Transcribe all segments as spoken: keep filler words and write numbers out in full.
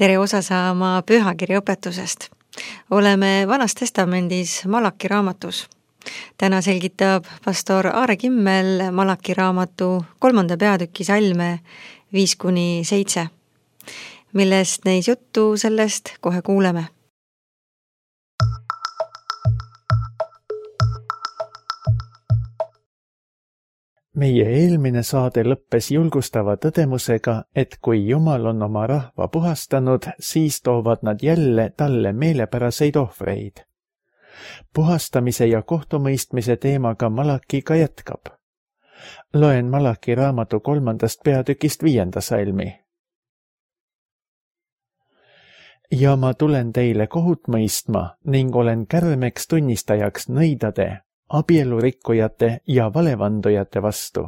Tere osa saama pühakirja õpetusest. Oleme Vanas Testamendis Malaki raamatus. Täna selgitab pastor Aare Kimmel Malaki raamatu kolmanda peatüki salme viis kuni seitse. Millest neis juttu, sellest kohe kuuleme. Meie eelmine saade lõppes julgustava tõdemusega, et kui Jumal on oma rahva puhastanud, siis toovad nad jälle talle meelepäraseid ohvreid. Puhastamise ja kohtumõistmise teemaga Malaki ka jätkab. Loen Malaki raamatu kolmandast peatükist viienda salmi. Ja ma tulen teile kohut mõistma ning olen kärmeks tunnistajaks nõidade, abielurikkujate ja valevandujate vastu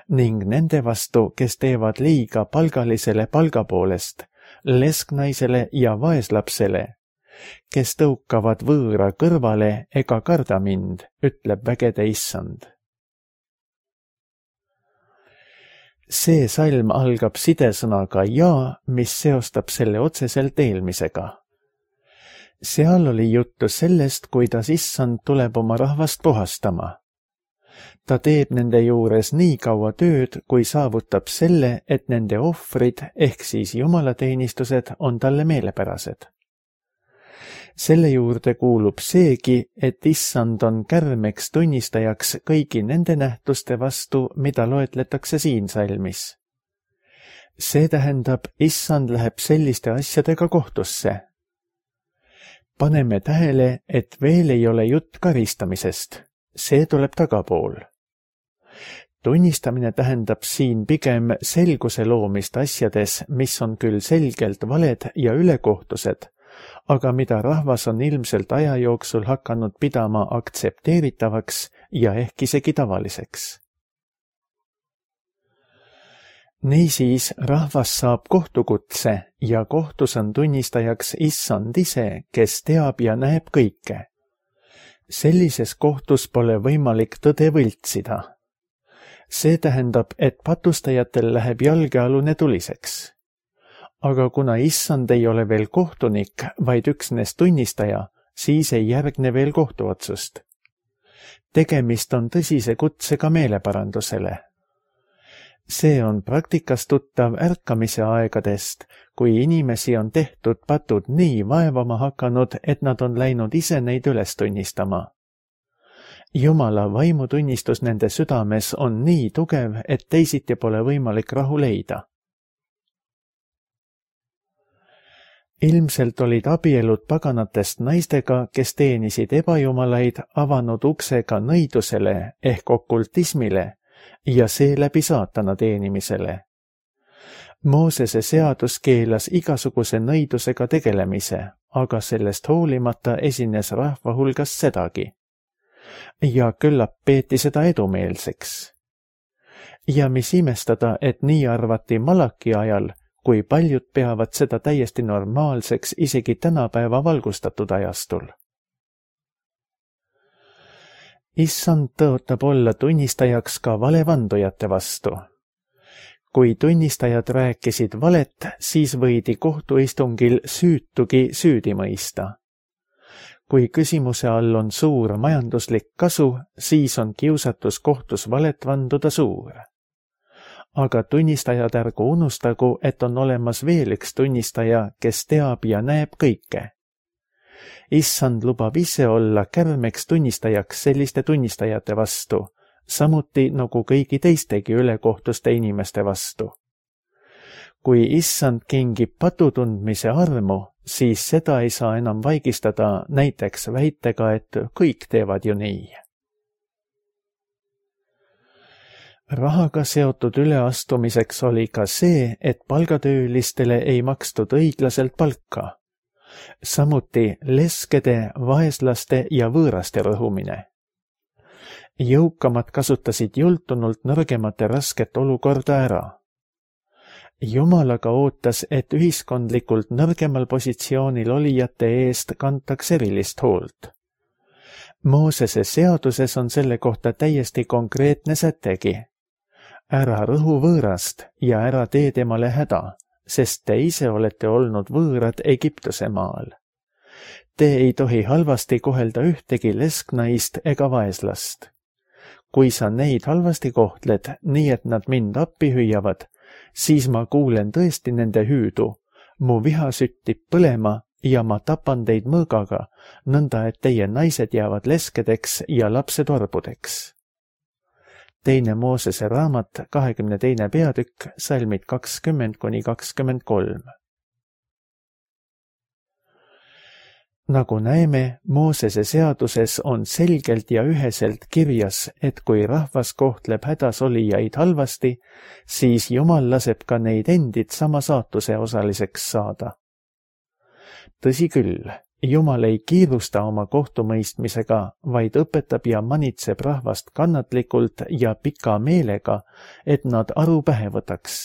ning nende vastu, kes teevad liiga palgalisele palga poolest, lesknaisele ja vaeslapsele, kes tõukavad võõra kõrvale ega karda mind, ütleb vägede issand. See salm algab sidesõnaga ja, mis seostab selle otseselt eelmisega. Seal oli juttu sellest, kuidas issand tuleb oma rahvast puhastama. Ta teeb nende juures nii kaua tööd, kui saavutab selle, et nende ohvrid ehk siis jumalateenistused on talle meelepärased. Selle juurde kuulub seegi, et issand on kärmeks tunnistajaks kõigi nende nähtuste vastu, mida loetletakse siin salmis. See tähendab, issand läheb selliste asjadega kohtusse. Paneme tähele, et veel ei ole jutt karistamisest. See tuleb tagapool. Tunnistamine tähendab siin pigem selguse loomist asjades, mis on küll selgelt valed ja ülekohtused, aga mida rahvas on ilmselt aja jooksul hakanud pidama aktsepteeritavaks ja ehk isegi tavaliseks. Niisiis rahvas saab kohtukutse ja kohtus on tunnistajaks issand ise, kes teab ja näeb kõike. Sellises kohtus pole võimalik tõde võltsida. See tähendab, et patustajatel läheb jalgealune tuliseks. Aga kuna issand ei ole veel kohtunik, vaid üksnes tunnistaja, siis ei järgne veel kohtuotsust. Tegemist on tõsise kutsega meeleparandusele. See on praktikas tuttav ärkamise aegadest, kui inimesi on tehtud patud nii vaevama hakanud, et nad on läinud ise neid üles tunnistama. Jumala vaimutunnistus nende südames on nii tugev, et teisiti pole võimalik rahu leida. Ilmselt olid abielud paganatest naistega, kes teenisid ebajumalaid, avanud uksega nõidusele ehk okultismile, ja seeläbi saatana teenimisele. Moosese seadus keelas igasuguse nõidusega tegelemise, aga sellest hoolimata esines rahva hulgas sedagi. Ja küllap peeti seda edumeelseks. Ja mis imestada, et nii arvati Malaki ajal, kui paljud peavad seda täiesti normaalseks isegi tänapäeva valgustatud ajastul. Issand tõotab olla tunnistajaks ka valevandujate vastu. Kui tunnistajad rääkisid valet, siis võidi kohtuistungil süütugi süüdi mõista. Kui küsimuse all on suur majanduslik kasu, siis on kiusatus kohtus valet vanduda suur. Aga tunnistajad ärgu unustagu, et on olemas veel üks tunnistaja, kes teab ja näeb kõike. Issand lubab ise olla kärmeks tunnistajaks selliste tunnistajate vastu, samuti nagu kõigi teistegi ülekohtuste inimeste vastu. Kui issand kingib patutundmise armu, siis seda ei saa enam vaigistada näiteks väitega, et kõik teevad ju nii. Rahaga seotud üleastumiseks oli ka see, et palgatöölistele ei makstud õiglaselt palka. Samuti leskede, vaeslaste ja võõraste rõhumine. Jõukamad kasutasid jultunult nõrgemate rasket olukorda ära. Jumal aga ootas, et ühiskondlikult nõrgemal positsioonil olijate eest kantaks erilist hoolt. Moosese seaduses on selle kohta täiesti konkreetne sätegi. Ära rõhu võõrast ja ära tee temale häda, sest te ise olete olnud võõrad Egiptuse maal. Te ei tohi halvasti kohelda ühtegi lesknaist ega vaeslast. Kui sa neid halvasti kohtled, nii et nad mind appi hüüavad, siis ma kuulen tõesti nende hüüdu, mu viha süttib põlema ja ma tapan teid mõõgaga, nõnda et teie naised jäävad leskedeks ja lapsed orbudeks. Teine Moosese raamat, kahekümne teine peatükk, salmid kakskümmend kuni kakskümmend kolm. Nagu näeme, Moosese seaduses on selgelt ja üheselt kirjas, et kui rahvas kohtleb hädas olijaid halvasti, siis Jumal laseb ka neid endid sama saatuse osaliseks saada. Tõsi küll, Jumal ei kiirusta oma kohtumõistmisega, vaid õpetab ja manitseb rahvast kannatlikult ja pika meelega, et nad aru pähe võtaks.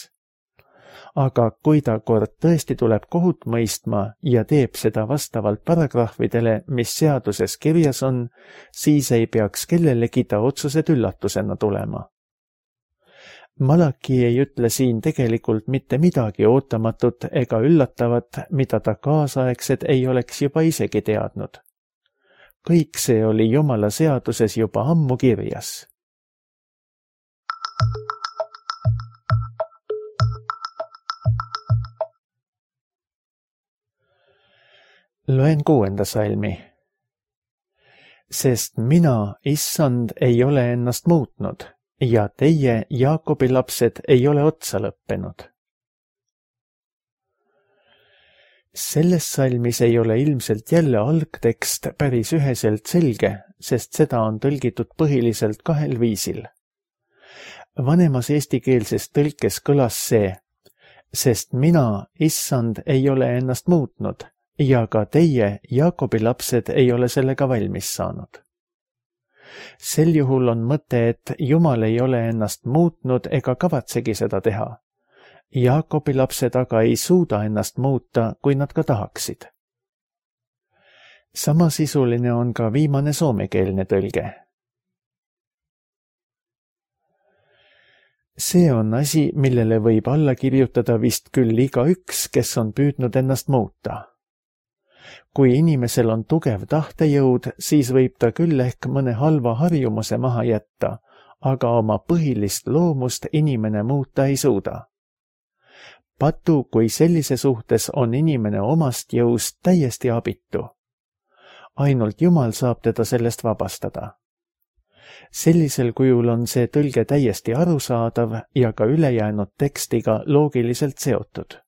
Aga kui ta kord tõesti tuleb kohut mõistma ja teeb seda vastavalt paragrahvidele, mis seaduses kirjas on, siis ei peaks kellelegi ta otsused üllatusena tulema. Malaki ei ütle siin tegelikult mitte midagi ootamatut ega üllatavat, mida ta kaasaegsed ei oleks juba isegi teadnud. Kõik see oli Jumala seaduses juba ammu kirjas. Loen kuuenda salmi. Sest mina, issand, ei ole ennast muutnud ja teie, Jaakobi lapsed, ei ole otsa lõppenud. Selles salmis ei ole ilmselt jälle algtekst päris üheselt selge, sest seda on tõlgitud põhiliselt kahel viisil. Vanemas eestikeelses tõlkes kõlas see, sest mina, issand, ei ole ennast muutnud ja ka teie, Jaakobi lapsed, ei ole sellega valmis saanud. Sel juhul on mõte, et Jumal ei ole ennast muutnud ega kavatsegi seda teha. Jaakobi lapsed aga ei suuda ennast muuta, kui nad ka tahaksid. Samasisuline on ka viimane soomekeelne tõlge. See on asi, millele võib alla kirjutada vist küll igaüks, kes on püüdnud ennast muuta. Kui inimesel on tugev tahtejõud, siis võib ta küll ehk mõne halva harjumuse maha jätta, aga oma põhilist loomust inimene muuta ei suuda. Patu, kui sellise suhtes on inimene omast jõust täiesti abitu. Ainult Jumal saab teda sellest vabastada. Sellisel kujul on see tõlge täiesti arusaadav ja ka ülejäänud tekstiga loogiliselt seotud.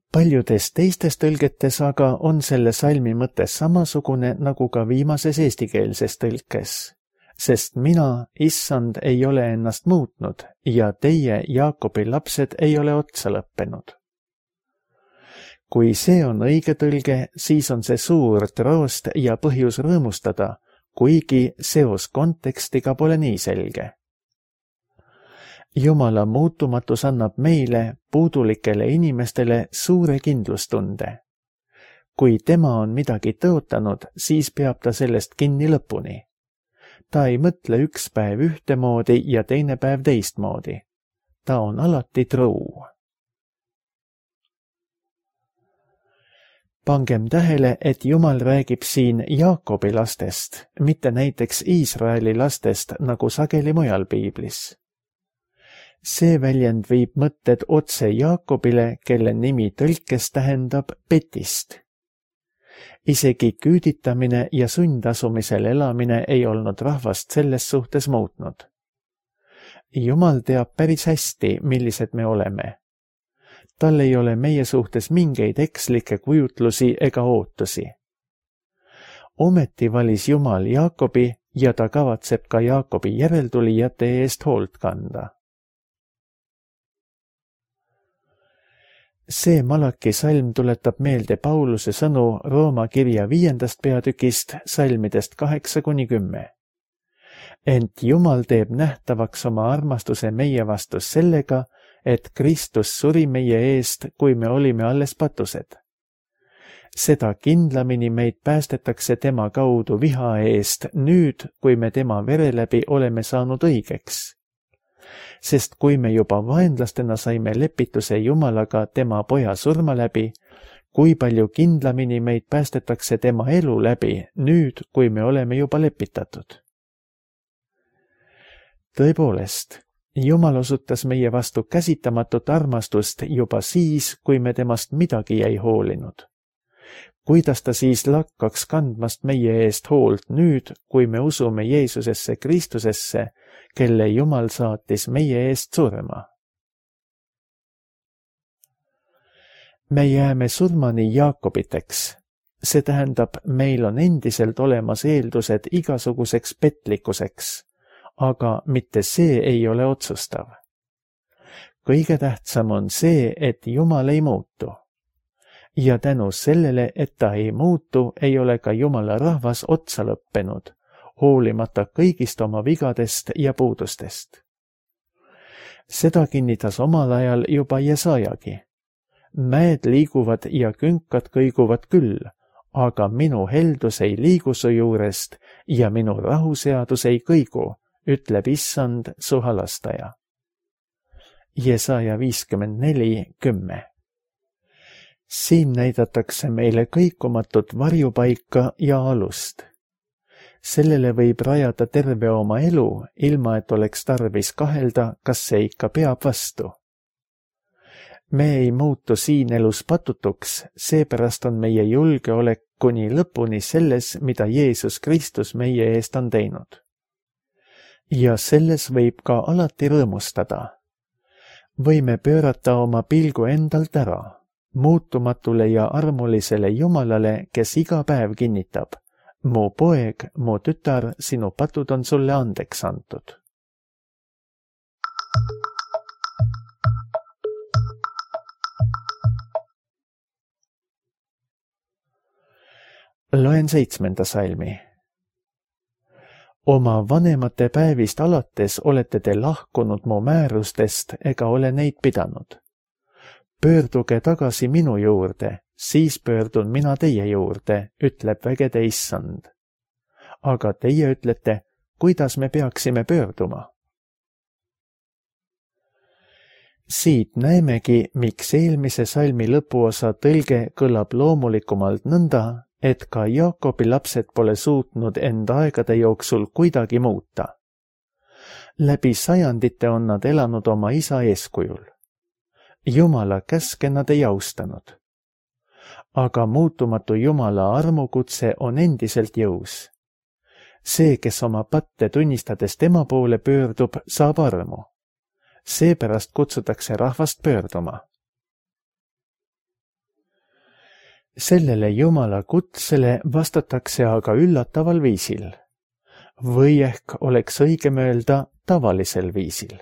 Paljudes teistes tõlgetes aga on selle salmi mõte samasugune nagu ka viimases eestikeelses tõlkes, sest mina, issand, ei ole ennast muutnud ja teie, Jaakobi lapsed, ei ole otsa lõppenud. Kui see on õige tõlge, siis on see suur troost ja põhjus rõõmustada, kuigi seos kontekstiga pole nii selge. Jumala muutumatus annab meile, puudulikele inimestele, suure kindlustunde. Kui tema on midagi tõotanud, siis peab ta sellest kinni lõpuni. Ta ei mõtle üks päev ühtemoodi ja teine päev teistmoodi. Ta on alati truu. Pangem tähele, et Jumal räägib siin Jaakobi lastest, mitte näiteks Iisraeli lastest, nagu sageli mujal piiblis. See väljend viib mõtted otse Jaakobile, kelle nimi tõlkes tähendab petist. Isegi küüditamine ja sundasumisel elamine ei olnud rahvast selles suhtes muutnud. Jumal teab päris hästi, millised me oleme. Tal ei ole meie suhtes mingeid ekslikke kujutlusi ega ootusi. Ometi valis Jumal Jaakobi ja ta kavatseb ka Jaakobi järeltulijate eest hoolt kanda. See Malaki salm tuletab meelde Pauluse sõnu Rooma kirja viiendast peatükist, salmidest kaheksa kuni kümme. Ent Jumal teeb nähtavaks oma armastuse meie vastu sellega, et Kristus suri meie eest, kui me olime alles patused. Seda kindlamini meid päästetakse tema kaudu viha eest nüüd, kui me tema vere läbi oleme saanud õigeks. sest kui me juba vaenlastena saime lepituse Jumalaga tema poja surma läbi, kui palju kindlamini meid päästetakse tema elu läbi nüüd, kui me oleme juba lepitatud. Tõepoolest, Jumal osutas meie vastu käsitamatut armastust juba siis, kui me temast midagi ei hoolinud. Kuidas ta siis lakkaks kandmast meie eest hoolt nüüd, kui me usume Jeesusesse Kristusesse, kelle Jumal saatis meie eest surma? Me jääme surmani Jaakobiteks. See tähendab, meil on endiselt olemas eeldused igasuguseks petlikkuseks, aga mitte see ei ole otsustav. Kõige tähtsam on see, et Jumal ei muutu. Ja tänu sellele, et ta ei muutu, ei ole ka Jumala rahvas otsa lõppenud, hoolimata kõigist oma vigadest ja puudustest. Seda kinnitas omal ajal juba Jesajagi. Mäed liiguvad ja künkad kõiguvad küll, aga minu heldus ei liigu su juurest ja minu rahuseadus ei kõigu, ütleb Issand, su halastaja. Jesaja viiskümmend neli kümme. Siin näidatakse meile kõikumatut varjupaika ja alust. Sellele võib rajada terve oma elu, ilma et oleks tarvis kahelda, kas see ikka peab vastu. Me ei muutu siin elus patutuks, seepärast on meie julgeolek kuni lõpuni selles, mida Jeesus Kristus meie eest on teinud. Ja selles võib ka alati rõõmustada. Võime pöörata oma pilgu endalt ära, muutumatule ja armulisele Jumalale, kes iga päev kinnitab: mu poeg, mu tütar, sinu patud on sulle andeks antud. Loen seitsmenda salmi. Oma vanemate päevist alates olete te lahkunud mu määrustest ega ole neid pidanud. Pöörduge tagasi minu juurde, siis pöördun mina teie juurde, ütleb vägede Issand. Aga teie ütlete, kuidas me peaksime pöörduma? Siit näemegi, miks eelmise salmi lõpuosa tõlge kõlab loomulikumalt nõnda, et ka Jaakobi lapsed pole suutnud enda aegade jooksul kuidagi muuta. Läbi sajandite on nad elanud oma isa eeskujul. Jumala käske nad ei austanud. Aga muutumatu Jumala armukutse on endiselt jõus. See, kes oma patte tunnistades tema poole pöördub, saab armu. Seepärast kutsutakse rahvast pöörduma. Sellele Jumala kutsele vastatakse aga üllataval viisil. Või ehk oleks õigem öelda tavalisel viisil.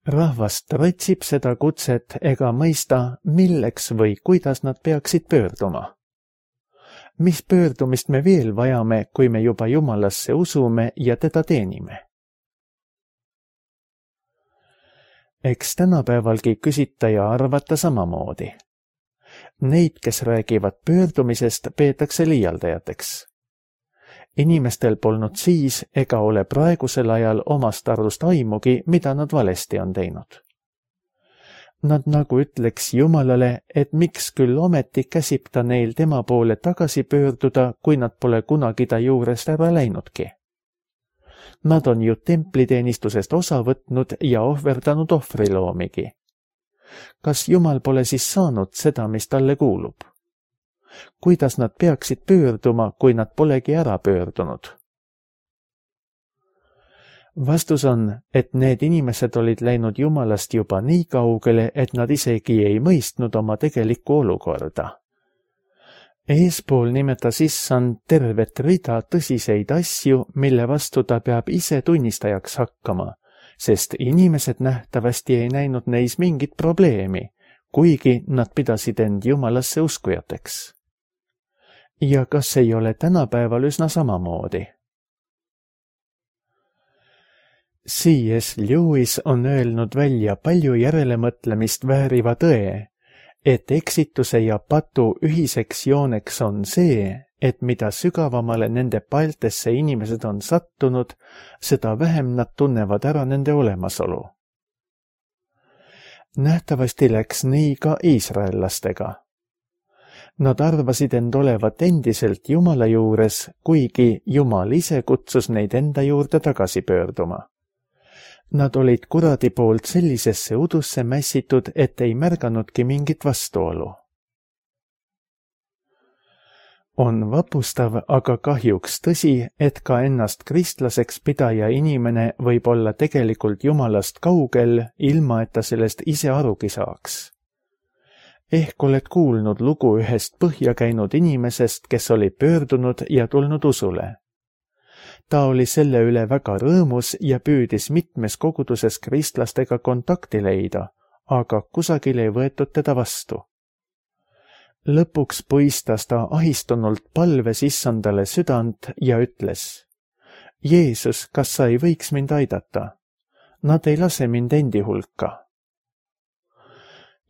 Rahvas tratsib seda kutset ega mõista, milleks või kuidas nad peaksid pöörduma. Mis pöördumist me veel vajame, kui me juba Jumalasse usume ja teda teenime? Eks tänapäevalgi küsita ja arvata samamoodi. Neid, kes räägivad pöördumisest, peetakse liialdajateks. Inimestel polnud siis ega ole praegusel ajal omast arust aimugi, mida nad valesti on teinud. Nad nagu ütleks Jumalale, et miks küll ometi käsib ta neil tema poole tagasi pöörduda, kui nad pole kunagi ta juurest ära läinudki. Nad on ju templiteenistusest osa võtnud ja ohverdanud ohvriloomigi. Kas Jumal pole siis saanud seda, mis talle kuulub? Kuidas nad peaksid pöörduma, kui nad polegi ära pöördunud? Vastus on, et need inimesed olid läinud Jumalast juba nii kaugele, et nad isegi ei mõistnud oma tegelikku olukorda. Eespool nimetas Issand tervet rida tõsiseid asju, mille vastu ta peab ise tunnistajaks hakkama, sest inimesed nähtavasti ei näinud neis mingit probleemi, kuigi nad pidasid end Jumalasse uskujateks. Ja kas ei ole tänapäeval üsna samamoodi? C S Lewis on öelnud välja palju järelemõtlemist vääriva tõe, et eksituse ja patu ühiseks jooneks on see, et mida sügavamale nende paeltesse inimesed on sattunud, seda vähem nad tunnevad ära nende olemasolu. Nähtavasti läks nii ka iisraellastega. Nad arvasid end olevat endiselt Jumala juures, kuigi Jumal ise kutsus neid enda juurde tagasi pöörduma. Nad olid kuradi poolt sellisesse udusse mässitud, et ei märganudki mingit vastuolu. On vapustav, aga kahjuks tõsi, et ka ennast kristlaseks pidaja inimene võib olla tegelikult Jumalast kaugel, ilma et ta sellest ise arugi saaks. Ehk oled kuulnud lugu ühest põhja käinud inimesest, kes oli pöördunud ja tulnud usule. Ta oli selle üle väga rõõmus ja püüdis mitmes koguduses kristlastega kontakti leida, aga kusagil ei võetud teda vastu. Lõpuks põistas ta ahistunult palves issandale südant ja ütles: Jeesus, kas sa ei võiks mind aidata? Nad ei lase mind endi hulka.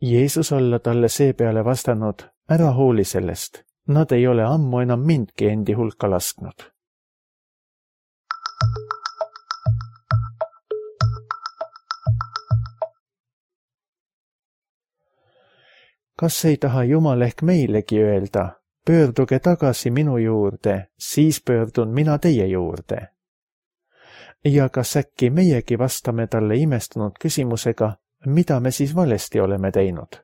Jeesus olla talle seepeale vastanud: ära hooli sellest, nad ei ole ammu enam mindki endi hulka lasknud. Kas ei taha Jumal ehk meilegi öelda: pöörduge tagasi minu juurde, siis pöördun mina teie juurde? Ja kas äkki meiegi vastame talle imestunud küsimusega, mida me siis valesti oleme teinud?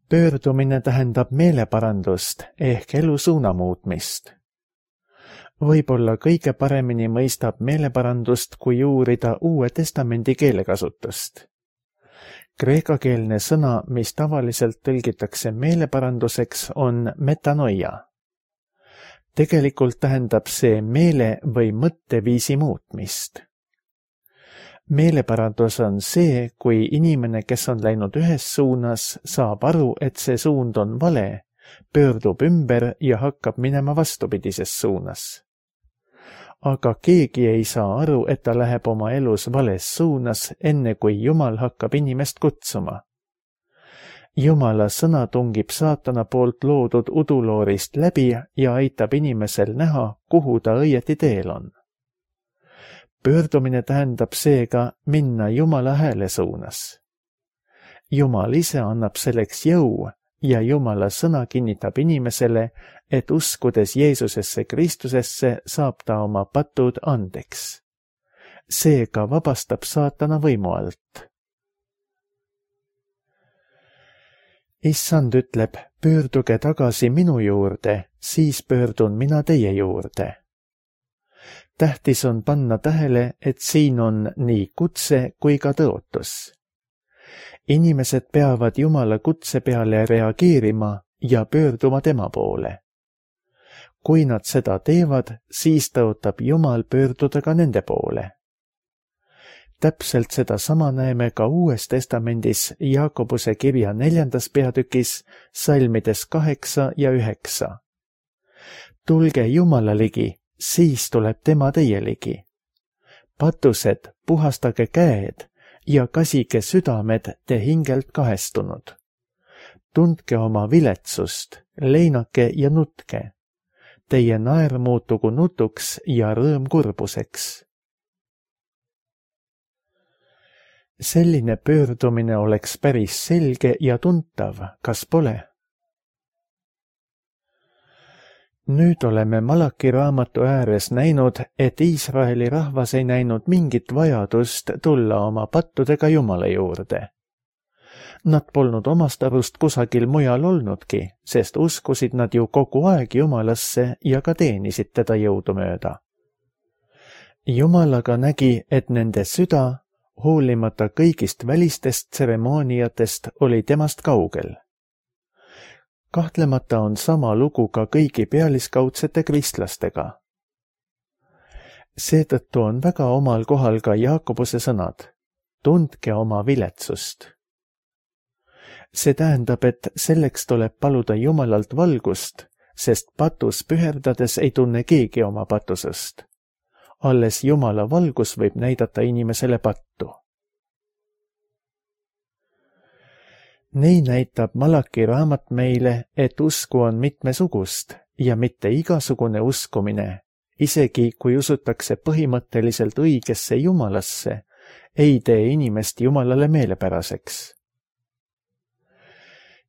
Pöördumine tähendab meeleparandust ehk elu suuna muutmist. Võib-olla kõige paremini mõistab meeleparandust, kui uurida Uue Testamendi keelekasutust. Kreekakeelne sõna, mis tavaliselt tõlgitakse meeleparanduseks, on metanoia. Tegelikult tähendab see meele või mõtteviisi muutmist. Meeleparandus on see, kui inimene, kes on läinud ühes suunas, saab aru, et see suund on vale, pöördub ümber ja hakkab minema vastupidises suunas. Aga keegi ei saa aru, et ta läheb oma elus vales suunas, enne kui Jumal hakkab inimest kutsuma. Jumala sõna tungib saatana poolt loodud uduloorist läbi ja aitab inimesel näha, kuhu ta õieti teel on. Pöördumine tähendab seega minna Jumala hääle suunas. Jumal ise annab selleks jõu ja Jumala sõna kinnitab inimesele, et uskudes Jeesusesse Kristusesse saab ta oma patud andeks. Seega vabastab saatana võimu alt. Issand ütleb: pöörduge tagasi minu juurde, siis pöördun mina teie juurde. Tähtis on panna tähele, et siin on nii kutse kui ka tõotus. Inimesed peavad Jumala kutse peale reageerima ja pöörduma tema poole. Kui nad seda teevad, siis tõotab Jumal pöörduda ka nende poole. Täpselt seda sama näeme ka Uues Testamendis Jaakobuse kirja neljandas peatükis, salmides kaheksa ja üheksa. Tulge Jumala ligi, siis tuleb tema teie ligi. Patused, puhastage käed ja kasige südamed te hingelt kahestunud. Tundke oma viletsust, leinake ja nutke. Teie naer muutugu nutuks ja rõõm kurbuseks. Selline pöördumine oleks päris selge ja tuntav, kas pole? Nüüd oleme Malaki raamatu ääres näinud, et Iisraeli rahvas ei näinud mingit vajadust tulla oma pattudega Jumala juurde. Nad polnud omast arust kusagil mujal olnudki, sest uskusid nad ju kogu aeg Jumalasse ja ka teenisid teda jõudumööda. Jumal aga nägi, et nende süda, hoolimata kõigist välistest tseremooniatest, oli temast kaugel. Kahtlemata on sama lugu ka kõigi pealiskaudsete kristlastega. Seetõttu on väga omal kohal ka Jaakobuse sõnad: tundke oma viletsust. See tähendab, et selleks tuleb paluda Jumalalt valgust, sest patus püherdades ei tunne keegi oma patusest. Alles Jumala valgus võib näidata inimesele pattu. Nii näitab Malaki raamat meile, et usku on mitmesugust ja mitte igasugune uskumine, isegi kui usutakse põhimõtteliselt õigesse Jumalasse, ei tee inimest Jumalale meelepäraseks.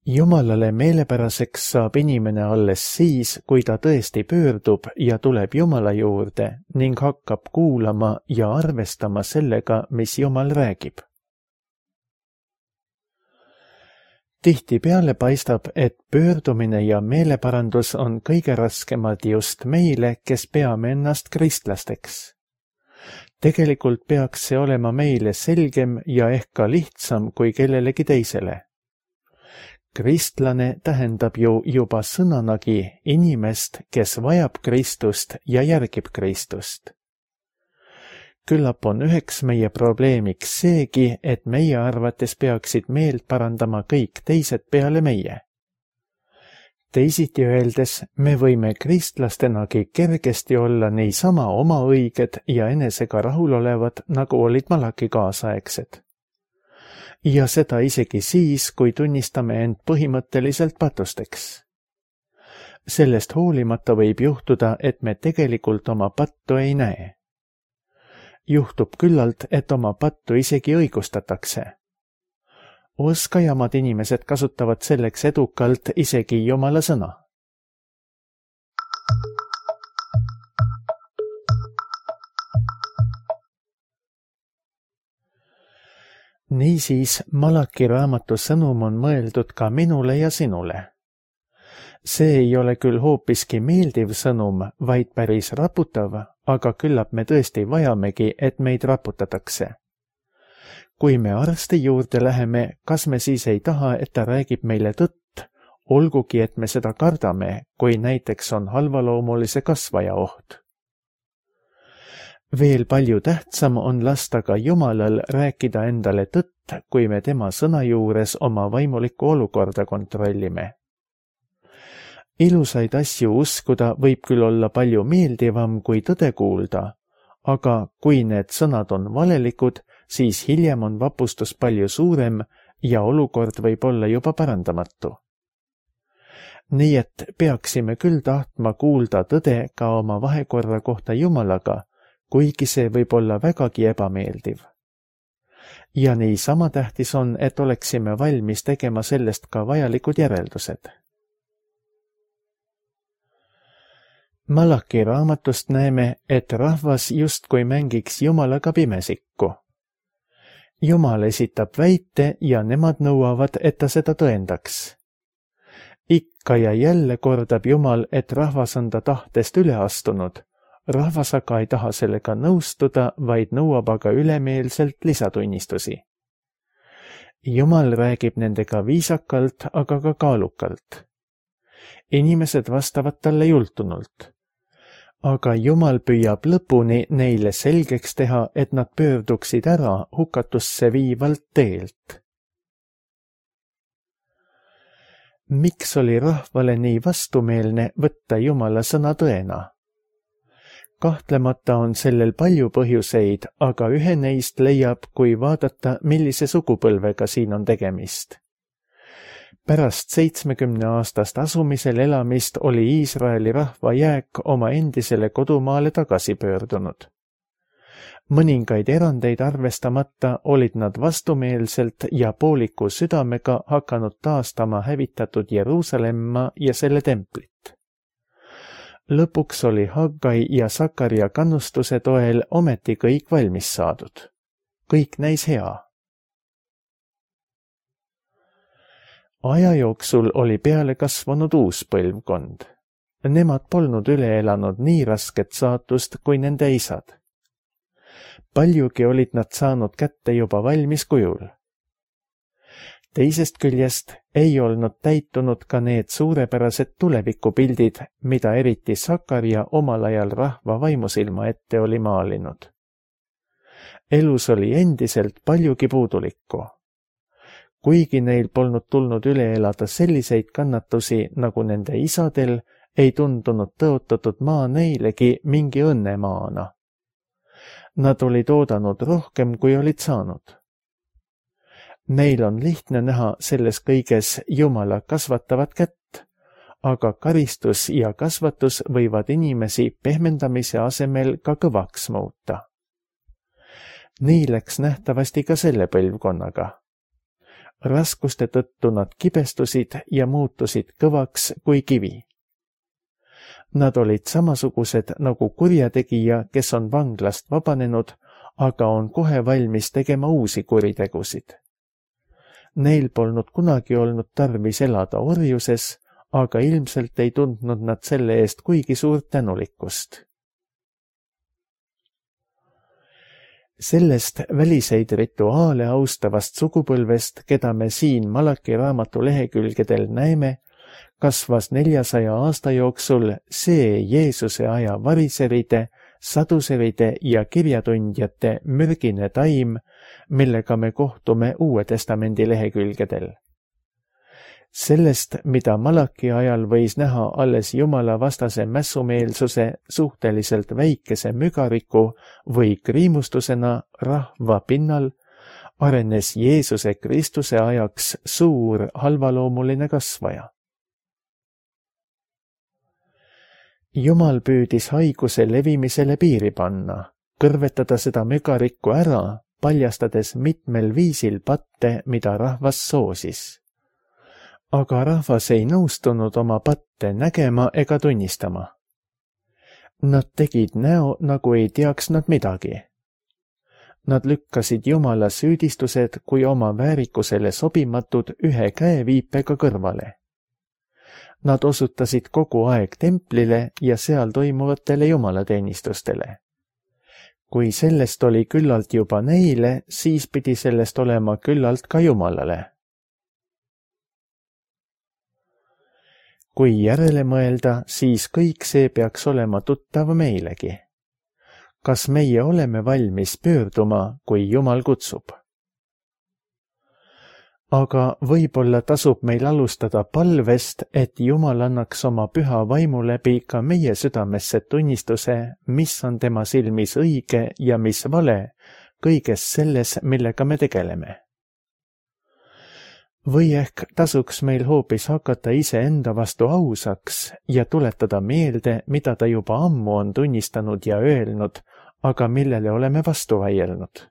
Jumalale meelepäraseks saab inimene alles siis, kui ta tõesti pöördub ja tuleb Jumala juurde ning hakkab kuulama ja arvestama sellega, mis Jumal räägib. Tihtipeale paistab, et pöördumine ja meeleparandus on kõige raskemad just meile, kes peame ennast kristlasteks. Tegelikult peaks see olema meile selgem ja ehk ka lihtsam kui kellelegi teisele. Kristlane tähendab ju juba sõnanagi inimest, kes vajab Kristust ja järgib Kristust. Küllap on üheks meie probleemiks seegi, et meie arvates peaksid meelt parandama kõik teised peale meie. Teisiti öeldes, me võime kristlastenagi kergesti olla niisama oma õiged ja enesega rahulolevad, nagu olid Malaki kaasaegsed. Ja seda isegi siis, kui tunnistame end põhimõtteliselt patusteks. Sellest hoolimata võib juhtuda, et me tegelikult oma pattu ei näe. Juhtub küllalt, et oma pattu isegi õigustatakse. Oskajamad inimesed kasutavad selleks edukalt isegi Jumala sõna. Niisiis, Malaki raamatu sõnum on mõeldud ka minule ja sinule. See ei ole küll hoopiski meeldiv sõnum, vaid päris raputav, aga küllap me tõesti vajamegi, et meid raputatakse. Kui me arsti juurde läheme, kas me siis ei taha, et ta räägib meile tõtt, olgugi et me seda kardame, kui näiteks on halvaloomulise kasvaja oht. Veel palju tähtsam on lasta ka Jumalal rääkida endale tõtt, kui me tema sõna juures oma vaimulikku olukorda kontrollime. Ilusaid asju uskuda võib küll olla palju meeldivam kui tõde kuulda, aga kui need sõnad on valelikud, siis hiljem on vapustus palju suurem ja olukord võib olla juba parandamatu. Nii et peaksime küll tahtma kuulda tõde ka oma vahekorra kohta Jumalaga, kuigi see võib olla vägagi ebameeldiv. Ja nii sama tähtis on, et oleksime valmis tegema sellest ka vajalikud järeldused. Malaki raamatust näeme, et rahvas justkui mängiks Jumalaga pimesikku. Jumal esitab väite ja nemad nõuavad, et ta seda tõendaks. Ikka ja jälle kordab Jumal, et rahvas on ta tahtest üle astunud. Rahvas aga ei taha sellega nõustuda, vaid nõuab aga ülemeelselt lisatunnistusi. Jumal räägib nendega viisakalt, aga ka kaalukalt. Inimesed vastavad talle jultunult. Aga Jumal püüab lõpuni neile selgeks teha, et nad pöörduksid ära hukatusse viivalt teelt. Miks oli rahvale nii vastumeelne võtta Jumala sõna tõena? Kahtlemata on sellel palju põhjuseid, aga ühe neist leiab, kui vaadata, millise sugupõlvega siin on tegemist. Pärast seitsmekümne aastast asumisel elamist oli Iisraeli rahva jääk oma endisele kodumaale tagasi pöördunud. Mõningaid erandeid arvestamata olid nad vastumeelselt ja pooliku südamega hakanud taastama hävitatud Jeruusalemma ja selle templit. Lõpuks oli Haggai ja Sakaria kannustuse toel ometi kõik valmis saadud. Kõik näis hea. Aja jooksul oli peale kasvanud uus põlvkond. Nemad polnud üle elanud nii rasket saatust kui nende isad. Paljugi olid nad saanud kätte juba valmis kujul. Teisest küljest ei olnud täitunud ka need suurepärased tulevikupildid, mida eriti Sakaria omal ajal rahva vaimusilma ette oli maalinud. Elus oli endiselt paljugi puudulikku. Kuigi neil polnud tulnud üle elada selliseid kannatusi, nagu nende isadel, ei tundunud tõotatud maa neilegi mingi õnnemaana. Nad olid oodanud rohkem, kui olid saanud. Neil on lihtne näha selles kõiges Jumala kasvatavat kätt, aga karistus ja kasvatus võivad inimesi pehmendamise asemel ka kõvaks muuta. Nii läks nähtavasti ka selle põlvkonnaga. Raskuste tõttu nad kibestusid ja muutusid kõvaks kui kivi. Nad olid samasugused nagu kurjategija, kes on vanglast vabanenud, aga on kohe valmis tegema uusi kuritegusid. Neil polnud kunagi olnud tarvis elada orjuses, aga ilmselt ei tundnud nad selle eest kuigi suurt tänulikkust. Sellest väliseid rituaale austavast sugupõlvest, keda me siin Malaki raamatu lehekülgedel näeme, kasvas neljasaja aasta jooksul see Jeesuse aja variseride, saduseride ja kirjatundjate mürgine taim, millega me kohtume Uue Testamendi lehekülgedel. Sellest, mida Malaki ajal võis näha alles Jumala vastase mässumeelsuse suhteliselt väikese mügariku või kriimustusena rahva pinnal, arenes Jeesuse Kristuse ajaks suur halvaloomuline kasvaja. Jumal püüdis haiguse levimisele piiri panna, kõrvetada seda mügarikku ära, paljastades mitmel viisil patte, mida rahvas soosis. Aga rahvas ei nõustunud oma patte nägema ega tunnistama. Nad tegid näo, nagu ei teaks nad midagi. Nad lükkasid Jumala süüdistused kui oma väärikusele sobimatud ühe käeviipega kõrvale. Nad osutasid kogu aeg templile ja seal toimuvatele jumalateenistustele. Kui sellest oli küllalt juba neile, siis pidi sellest olema küllalt ka Jumalale. Kui järele mõelda, siis kõik see peaks olema tuttav meilegi. Kas meie oleme valmis pöörduma, kui Jumal kutsub? Aga võib-olla tasub meil alustada palvest, et Jumal annaks oma püha vaimu läbi ka meie südamesse tunnistuse, mis on tema silmis õige ja mis vale, kõiges selles, millega me tegeleme. Või ehk tasuks meil hoopis hakata iseenda vastu ausaks ja tuletada meelde, mida ta juba ammu on tunnistanud ja öelnud, aga millele oleme vastu vaielnud.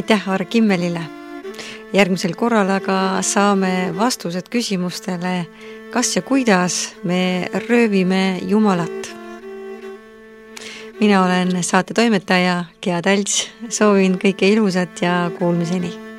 Aitäh Aare Kimmelile! Järgmisel korral aga saame vastused küsimustele, kas ja kuidas me röövime Jumalat. Mina olen saate toimetaja Gea Talts, soovin kõike ilusat ja kuulmiseni!